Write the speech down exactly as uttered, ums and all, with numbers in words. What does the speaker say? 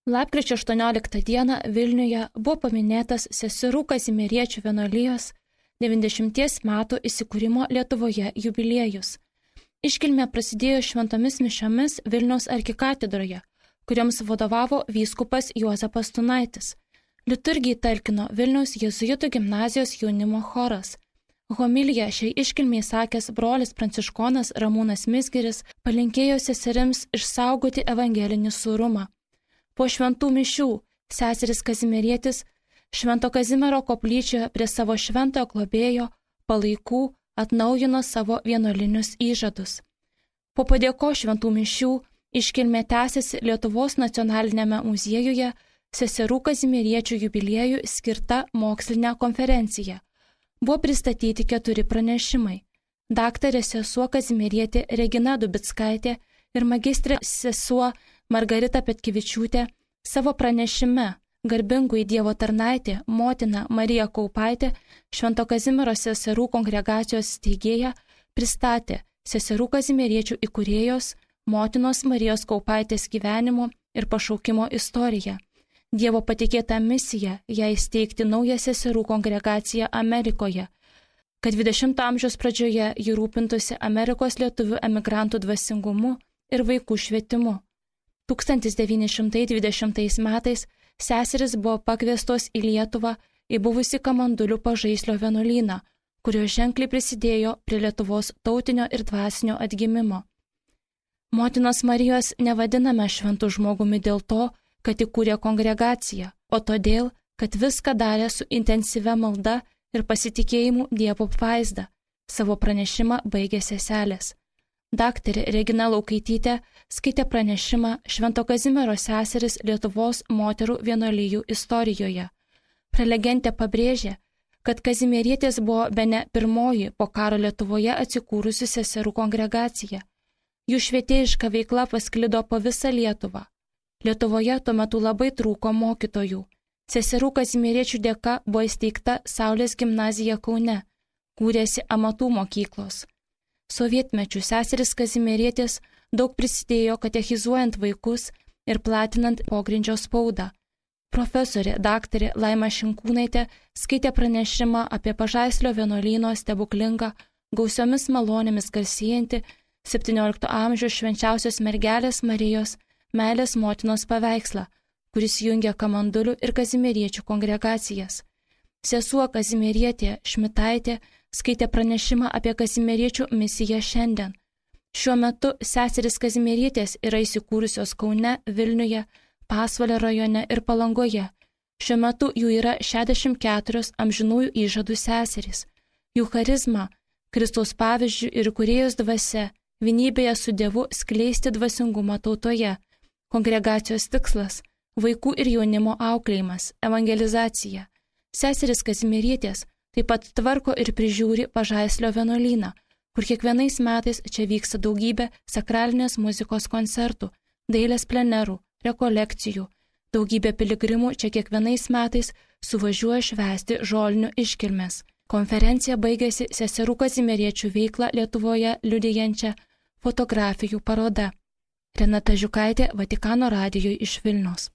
Lapkričio aštuonioliktą dieną Vilniuje buvo paminėtas seserų Kazimieriečių vienuolijos devyniasdešimties metų įsikūrimo Lietuvoje jubiliejus. Iškilmė prasidėjo šventomis mišiomis Vilniaus arkikatedroje, kuriems vadovavo vyskupas Juozapas Tunaitis. Liturgijai talkino Vilniaus jėzuitų gimnazijos jaunimo choras. Homiliją šiai iškilmiai sakęs brolis pranciškonas Ramūnas Mizgiris palinkėjo seserims išsaugoti evangelinį sūrumą. Po šventų mišių seseris Kazimierietis Švento Kazimiero koplyčioje prie savo šventojo globėjo palaikų atnaujino savo vienuolinius įžadus. Po padėko šventų mišių iškilmė tęsiasi Lietuvos nacionalinėme muziejuje seserų Kazimieriečių jubiliejų skirta mokslinė konferencija. Buvo pristatyti keturi pranešimai. Daktarė sesuo Kazimierietė Regina Dubickaitė ir magistrė sesuo Margarita Petkevičiūtė savo pranešime Garbingųjų Dievo tarnaitė motina Marija Kaupaitė, Švento Kazimiero seserų kongregacijos steigėja, pristatė seserų Kazimieriečių įkūrėjos motinos Marijos Kaupaitės gyvenimo ir pašaukimo istoriją. Dievo patikėta misija jai steigti naują seserų kongregaciją Amerikoje, kad dvidešimto amžiaus pradžioje ji rūpintųsi Amerikos lietuvių emigrantų dvasingumu ir vaikų švietimu. tūkstantis devyni šimtai dvidešimtais metais seseris buvo pakviestos į Lietuvą į buvusi Kamandulių Pažaislio vienuolyną, kurio ženkliai prisidėjo prie Lietuvos tautinio ir dvasinio atgimimo. Motinos Marijos nevadiname šventų žmogumi dėl to, kad įkūrė kongregaciją, o todėl, kad viską darė su intensyvia malda ir pasitikėjimu Dievo apvaizda. Savo pranešimą baigė seselės. Daktarė Regina Laukaitytė skaitė pranešimą Švento Kazimiero seseris Lietuvos moterų vienuolijų istorijoje. Prelegentė pabrėžė, kad Kazimierietės buvo bene pirmoji po karo Lietuvoje atsikūrusi seserų kongregacija. Jų švietėjiška veikla pasklido po visą Lietuvą. Lietuvoje tuo metu labai trūko mokytojų. Seserų Kazimieriečių dėka buvo įsteigta Saulės gimnazija Kaune, kūrėsi amatų mokyklos. Sovietmečių seseris Kazimierietės daug prisidėjo katechizuojant vaikus ir platinant pogrindžio spaudą. Profesorė daktarė Laima Šinkūnaitė skaitė pranešimą apie Pažaislio vienuolyno stebuklingą, gausiomis malonėmis garsėjantį septyniolikto amžiaus švenčiausios mergelės Marijos meilės motinos paveikslą, kuris jungia Kamandulių ir Kazimieriečių kongregacijas. Sesuo Kazimierietė Šmitaitė skaitė pranešimą apie Kazimieriečių misiją šiandien. Šiuo metu seseris Kazimierietės yra įsikūrusios Kaune, Vilniuje, Pasvalio rajone ir Palangoje. Šiuo metu jų yra šešiasdešimt keturios amžinųjų įžadų seserys. Jų charizma, Kristaus pavyzdžių ir kūrėjos dvasia, vienybėje su Dievu skleisti dvasingumą tautoje. Kongregacijos tikslas – vaikų ir jaunimo auklėjimas, evangelizacija. Seseris Kazimierietės taip pat tvarko ir prižiūri Pažaislio vienuolyną, kur kiekvienais metais čia vyksta daugybė sakralinės muzikos koncertų, dailės plenerų, rekolekcijų. Daugybė piligrimų čia kiekvienais metais suvažiuoja švęsti žolinių iškilmes. Konferencija baigėsi seserų Kazimieriečių veiklą Lietuvoje liudijančią fotografijų paroda. Renata Žiukaitė, Vatikano radijui iš Vilniaus.